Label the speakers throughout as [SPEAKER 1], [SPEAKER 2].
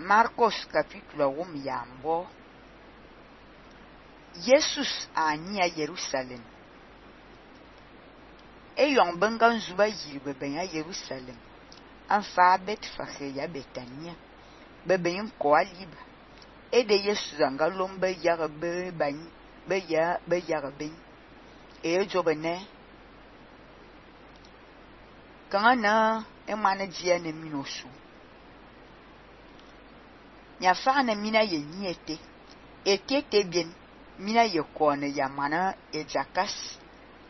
[SPEAKER 1] Marcos capítulo 1 yambo. Jesus ani a Jerusalem. Yon benga zuba yirbe ben a Jerusalem. Anfa Betfage ya Betania. Beben ko aliba. De Jesus anga lombe yarbe ban be yarbe. Jobene. Kana emane dia ne minosu. Nya fa na mina ye niete. Etete bien mina ye kone ya mana ejakas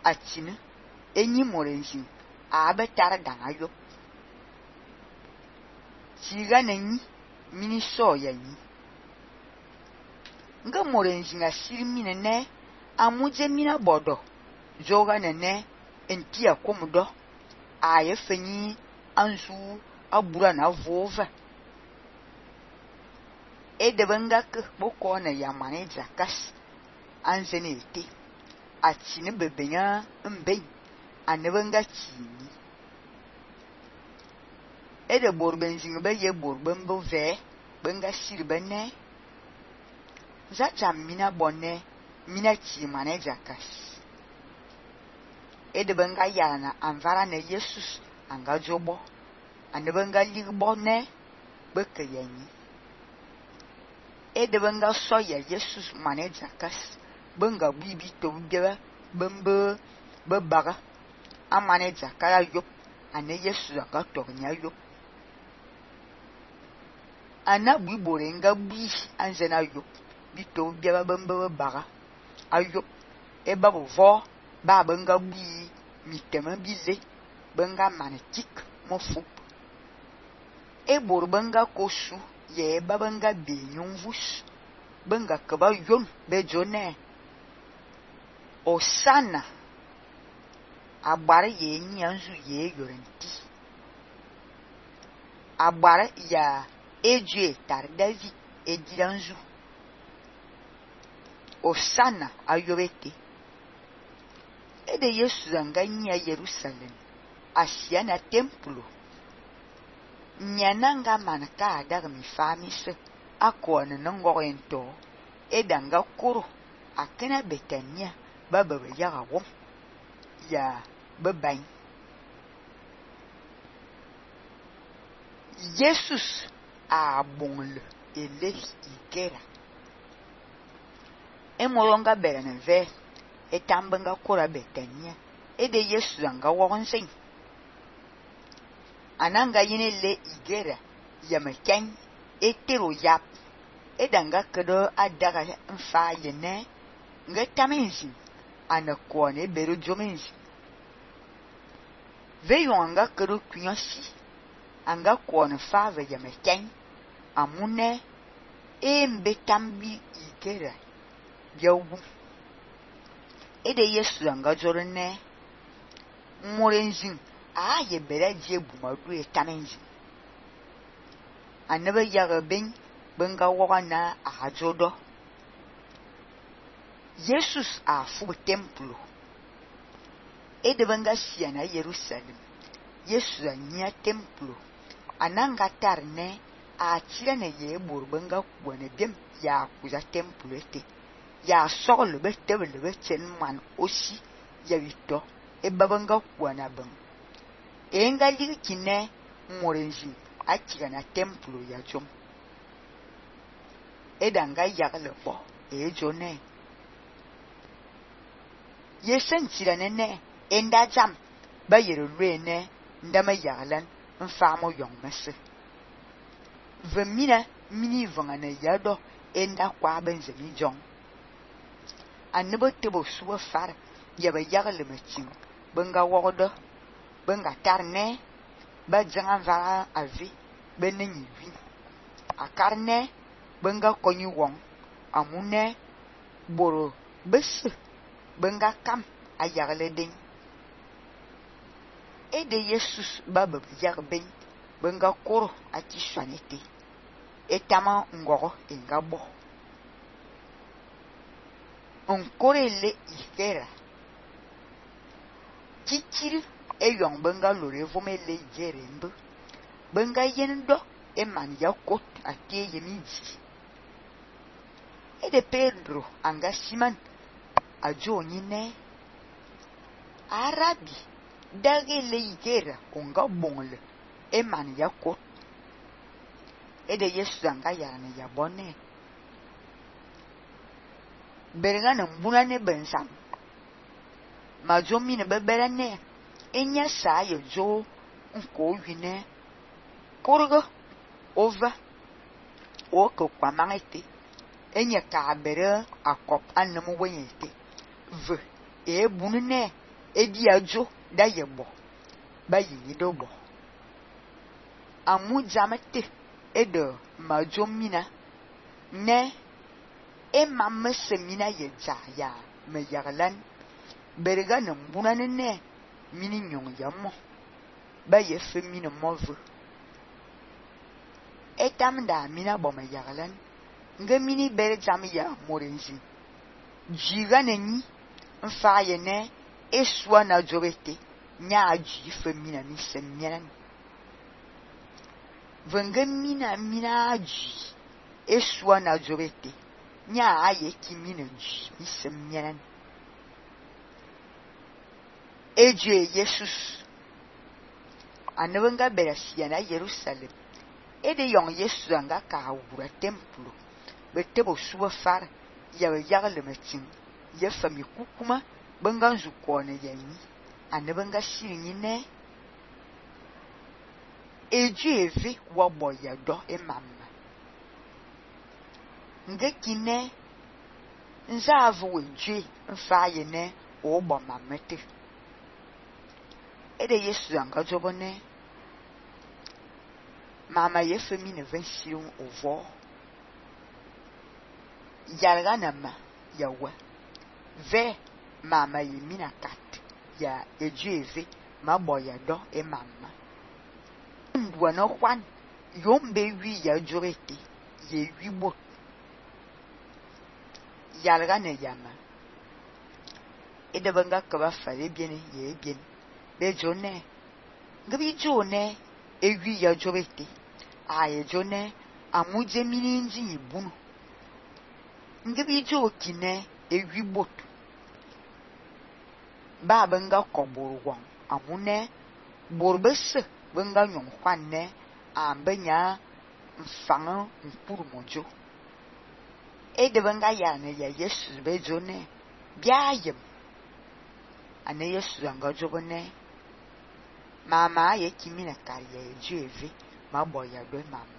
[SPEAKER 1] atine enyi morenjin abetar dangayo. Siga nenyi mini so ya nyi. Nga morenjin asiri mine ne amuje mina bodo. Joga nene entia komudo. Aye fenyi anzu abura na vova. Debenga ke boko na yamane jakas anzene ete atine bebenya mben anebenga chini de borbenzing be ye borbembo ve benga sirbene za jamina bonne mina chi mane jakas debenga yana anvara na Jesus anga jobo anebenga ligbo ne bekeyenyi debenga soya Jesus mane jakas benga bibi to bebe bembe bebaga amane jakara yop ane Jesus anga tornya yop ana biborenga bi anzena yop bito bebe bembe bebaga ayop babu vo ba benga bi mitema bize benga manetik mofu bor benga kosu ye babenga benyum vus benga kaba yon bejone Osana agbara ye nyanzu ye yorenti agbara ya eje tar David ediranzu Osana ayobete de Yesu zanganya Jerusalem asiana templo nyananga manaka adaga mi famise akone ngorento edanga kuro akena Betania baba yaga wom ya beban Jesus a bonle ele ikera emolonga berene ve etambenga kura Betania de Jesus anga wonsen ananga yine le igera ya meken etero yap edanga kedo adaga mfa yene ngetamenzi anakone bero jomenzi veyo anga kedo kunyosi anga kone fave ya meken amune mbetambi igera yawu de Yesu anga jorene morenzin ye bere je bumadu etamenzi anebe yaga benga wogana ajodo Jesus a fu templo de benga siana Jerusalem Jesus anya templo ananga tarne a chirene ye benga kuane biem ya kuza templo ete ya soglo betebele bechen man osi ya wito babanga kuana ben enga likine morenji achira na templo ya jom edanga yagle bo jone yesentira nene enda jam bayere rene ndama yaglan mfamo yongmese vemina mini vangana yado enda kwa benzemi jong anebo tebo suwa far yaba yagle machin benga wodo benga tarne ba jangan va avi benenyi wi akarne benga konyi wong amune boro bes benga kam ayagle den de Jesus baba yarben benga koro ati swanete etama ngoro engabo onkorele ifera chichiri eyong benga lore vomele jerembe benga yendo man yakot ate yemidi. Ede Pedro anga Simon ajo nyine Arabi dagele igera onga bongle man yakot. Ede Yesu anga yana yabone bergana mbuna ne bensam majo mine beberane enya sa ye jo nko wine korgo over o ko kwamangete enya ka bere akop anam wenyete v e bunne e dia jo da yebo ba yi dobo amu jamete edo majo mina ne mamma semina ye ya me yaglan berga na mbuna ne mini nyong yamo ba ye femina move etam da mina bo me yaglan nga mini bere jam ya morenzi jiga neni mfa ye ne eswa na jogete nya aji femina ni semina venga mina aji eswa na jogete nya aye kimina ji ni semina eje Jesus anabanga berasia na Jerusalem ede yong Yesu anga ka wura templo betebo suwa far ya yagle metin ya fami kukuma banganzu kone yanyi anabanga sirinyi ne eje eve wabo ya do emamma ngekine nzavu weje mfaye ne obo mamete ede Yesu anga jobone mama ye femine vension ovo yalganama yawa ve mama ye mina kat ya ejeve maboya do e mama ndwana kwan yombe wi ya jorete ye wibo yalgane yama ede banga kaba fare biene ye bien be jone ngabi jone ewi ya jorete aye jone amuje mini nji ibunu ngabi jo kine ewi bot ba banga koburu wan amune borbese banga nyon kwanne ambenya mfanga mpuru mojo ede banga yana ya Yesu be jone biayem ane Yesu anga jobone mama ye kimina kariye jeve maboya do mama